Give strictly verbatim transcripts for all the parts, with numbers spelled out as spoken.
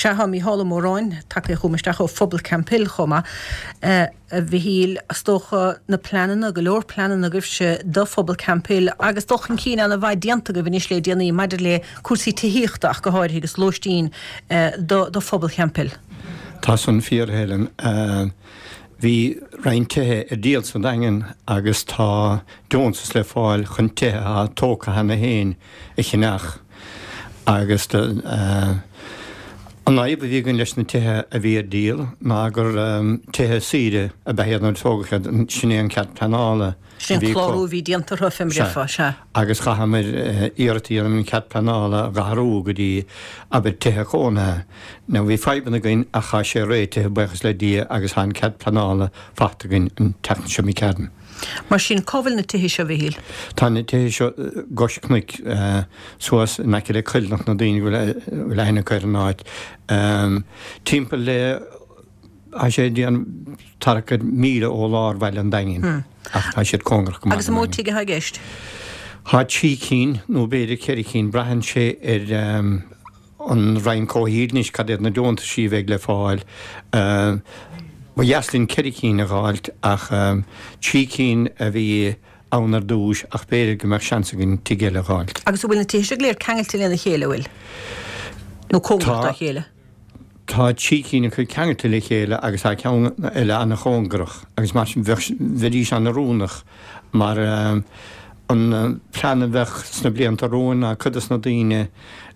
Sea, tá Mícheál Ó Móráin tagtha chugam isteach ó phobal Camphill chomh maith. A Mhichíl, is dócha na pleananna, go leor pleananna agaibhse do phobal Camphill agus dul chun cinn an-mhaith déanta agaibh anois le déanaí maidir le cúrsaí tithíochta ach go háirithe agus lóistín do phobal Camphill. Tá san fíor, a Helen. Bhí roinnt tithe ar díol sa Daingean agus tá deontas le fáil chun tithe atá tógtha cheana féin a cheannach agus an fhadhb a bhí againn leis na tithe a bhí ar díol ná gur tithe saoire ab ea iad nuair a tógadh iad, sin é an cead pleanála. Sin an clárú a bhí déanta orthu, fé mar a déarfá, sea. Agus chaitheamar iarracht a dhéanamh an cead pleanála a athrú go dtí, abair, tithe cónaithe. Now bhí fadhbanna againn ach tá sé réitithe, buíochas le Dia, agus tá an cead pleanála faighte againn an tseachtain seo imigh tharainn. Mar sin, cá bhfuil na tithe seo, a Mhichíl? Tá na tithe seo gcois cnoic, suas in aice le Coillearnach na daoine go bhfuil aithne acu ar an áit. Timpeall le. Tá sé ag déanamh tarrac ar míle ó lár bhaile an Daingin ach tá siad cóngarach go maith Agus an mó tigh atá i gceist? Tá trí cinn nó b'fhéidir ceithre cinn, braitheann sé ar an Roinn Comhshaoil anois cad iad na deontaisí a bheidh le fáil. Ba dheas linn ceithre cinn a dh'fháilt ach trí cinn a bhí ann ar dtúis ach b'fhéidir go mbeadh seans againn tigh eile a dh'fháilt. Agus an bhfuil na tithe seo go léir ceangailte lena chéile, an bhfuil? Nó cóngarach dá chéile? Tá trí cinn acu ceangailte le chéile agus tá ceann eile an-chóngarach agus mar sin bheadh, bheidís an-oiriúnach mar an plean a bheadh sna blianta romhainn ná cuid des na daoine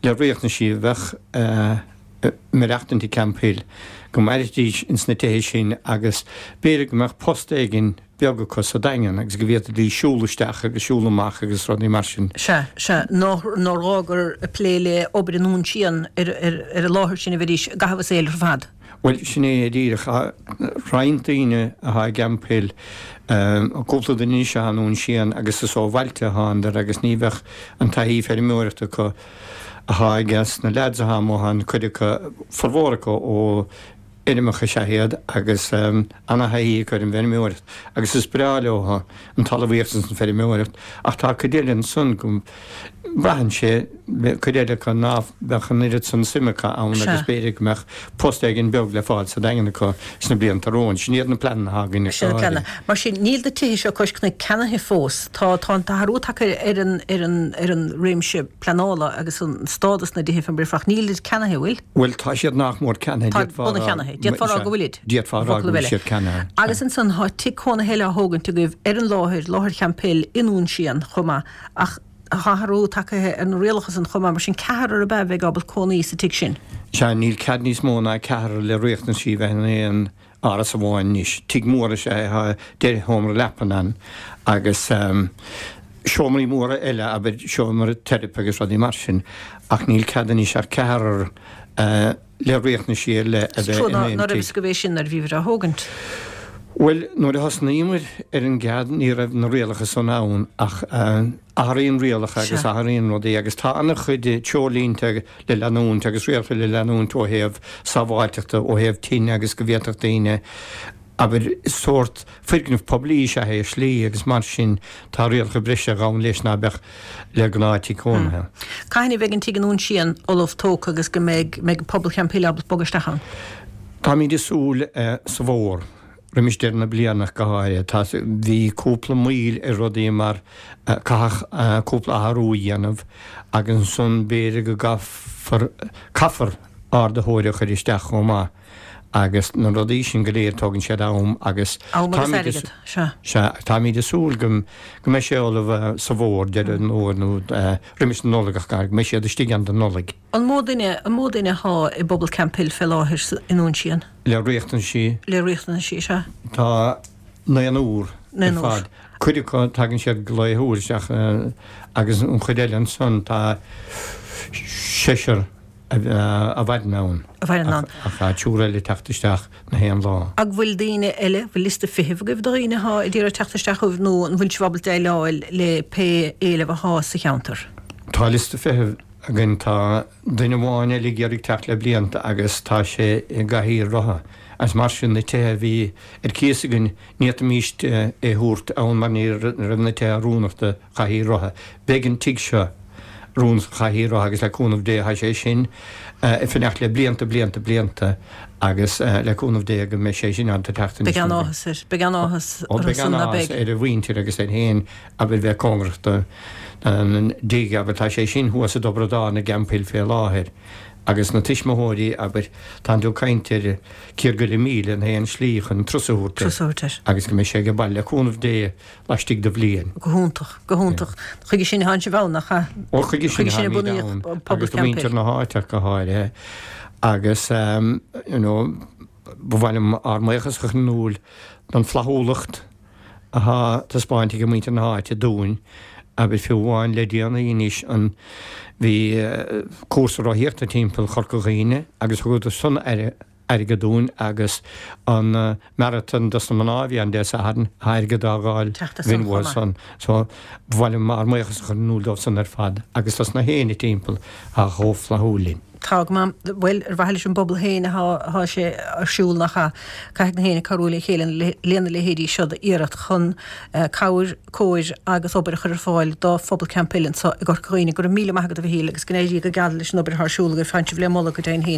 le riachtanaisí a bheadh ag maireachtaint i Camphill go mairfidís ins na tithe sin agus b'fhéidir go mbeadh post éigin beag acu sa Daingean agus go bhféadfaidís siúl isteach agus siúl amach agus rudaí mar sin. Sea, sea, nár ghá gur ag plé le obair i nDún Síon ar an láthair sin a bheidís i gcaitheamh a saoil ar fad. Bhuel, sin é díreach. Tá roinnt daoine atá i gCamphill, cúpla duine anois atá i nDún Síon agus is ó bhailte a thánadar agus ní bheadh an taithí feirmeoireachta acu atá ages na leaids atá amuigh ann, cuid acu, formhór acu ó fheirmeacha is ea iad agus ana-thaithí acu ar an bhfeirmeoireacht agus is breá leo an talmhaíocht agus an feirmeoireacht ach tá cuid eile ansan go mbraitheann sé, cuid eile acu ná beadh an oiread san suim acu ann agus b'fhéidir go mbeadh post éigin beag le fáil sa Daingean acu sna blianta romhainn. Sin iad na pleananna atá againn ach go háirithe. Mar sin, níl na tithe seo cois cnoic ceannaithe fós. Tá tá an t-athrú tagtha ar an ar an ar an réimse pleanála agus an stádas na dtithe fé mar a déarfá ach nílid ceannaithe, an bhfuil? Bhuel, tá siad nach mór ceannaithe, Tá d'fhéadfá a rá. ceannaithe. D'fhéadfá a rá go bhfuilid. D'fhéadfá a rá go bhfuil siad ceannaithe. Agus ansan tá tigh cónaithe eile á thógaint agaibh ar an láthair, láthair Champhill i nDún Síon chomh maith, ach tá athrú tagtha ar na rialacha san chomh maith, mar sin ceathrar ab ea a bheidh ábalta cónaí sa tigh sin? Sea, níl cead níos mó ná ceathrar le riachtanaisí bheith in aon áras amháin anois. Tigh mór is ea é, tá deich sheomra leapan ann agus seomraí móra eile, abair, seomra teiripe agus rudaí mar sin, ach níl cead anois ach ceathrar le riachtanaisí ar leith a bheith in aon tigh. Ná raibh fhios agaibh é sin nuair a bhíobhair á thógaint? Bhuel, nuair a thosnaíomar ar an gcead ní raibh na rialacha san ann ach athraíonn rialacha agus athraíonn rudaí agus tá an-chuid treoirlínte le leanúint agus rialacha le leanúint ó thaobh sábháilteachta, ó thaobh tine agus go bhféadfadh daoine, abair, sórt foirgneamh poiblí is ea é ar shlí agus mar sin tá rialacha breise a ghabhann leis ná beadh le gnáth-tigh cónaithe. Cathain a bheidh an tigh i nDún Síon ullamh tógtha agus go mbeidh mbeidh pobal Champhill ábalta bogadh isteach ann? Táimid ag súil sa bhfómhar. Roimis deireadh na bliana ach go háirithe. Tá, bhí cúpla moill ar rudaí mar caitheadh cúpla athrú a dhéanamh agus ansan b'fhéidir go gcaithfear, caithfear ardaitheoir a chur isteach chomh maith agus na rudaí sin go léir tógann siad am agus Am agus táimid airgead, sea. Sea, táimid ag súil go go mbeidh sé ullamh sa bhfómhar, deireadh an fhómhair nó roimis an Nollaig ach go háirithe, go mbeidh siad istigh ann don Nollaig. An mó duine, an mó duine athá i bpobal Camphill fé láthair i nDún Síon? Le riachtanaisí. Le riachtanaisí, sea. Tá naonúr ar fad. Cuid acu, tagann siad go laethúil isteach agus an chuid eile ansan tá seisear a mhaireann ann. A mhaireann ann. Ach tá triúr eile ag teacht isteach na haon lá. Ach bhfuil daoine eile, bhfuil liosta feithimh agaibh de dhaoine athá ag iarraidh teacht isteach chugaibh nó an bhfuil sibh ábalta déileáil le pé éileamh athá sa cheantar? Tá liosta feithimh againn. Tá duine amháin eile ag iarraidh teacht le blianta agus tá sé i gcathaoir rotha agus mar sin na tithe a bhí ar cíos againn ní fhéadfaimíst é thabhairt ann mar ní raibh na tithe oiriúnach do chathaoir rotha. Beidh an tigh seo rún sa chathaoir agus le cúnamh Dé tá sé sin ag fanacht le blianta, blianta, blianta agus le cúnamh Dé go mbeidh sé sin ann teacht anois. Beidh an-áthas air, beidh an-áthas orthu san, beidh an-áthas ar a mhuintir agus air féin abair bheith cóngarach don dtigh, abair tá sé sin thuas i dTobar an Dáin i gCamphill fé láthair agus na tuismitheoirí, abair, tánn tú ag caint ar cíor go leith míle an t-aon slí chun turas a thabhairt air agus go mbeidh sé ag baile le cúnamh Dé laistigh de bhliain. Go hiontach, go hiontach. Chuige sin atánn sibh ann, nach ea? Ó, chuige sin atáimid ann, agus do mhuintir na háite ach go háirithe. Agus, you know, ba mhaith liom ár mbuíochas a chur in iúl don flaithiúlacht athá taispeáinte ag muintir na háite dúinn, abair fiú amháin le déanaí anois an, bhí cúrsa rothaíochta timpeall Chorca Dhuibhne agus thugadar san aire, airgead dúinn agus an marathon dos na mná a bhí ann Dé Sathairn, tá airgead á dh'fháil againn uathu san. So, ba mhaith liom ár mbuíochas a chur in iúl dóibh san ar fad agus dos na héinne timpeall atá chomh flaithiúil linn. Tá go maith. Bhuel, ar mhaithe leis an bpobal féin atá sé ar siúl, nach ea? Caithfidh na héinne cabhrú le chéile lena leithéidí seo d'iarracht chun cabhair, cóir agus obair a chur ar fáil do phobal Camphill anseo i gCorca Dhuibhne. Go raibh míle maith agat a Mhichíl agus go n-éirí go geal leis an obair atá ar siúl agaibh. Tánn sibh le moladh go deimhin féin.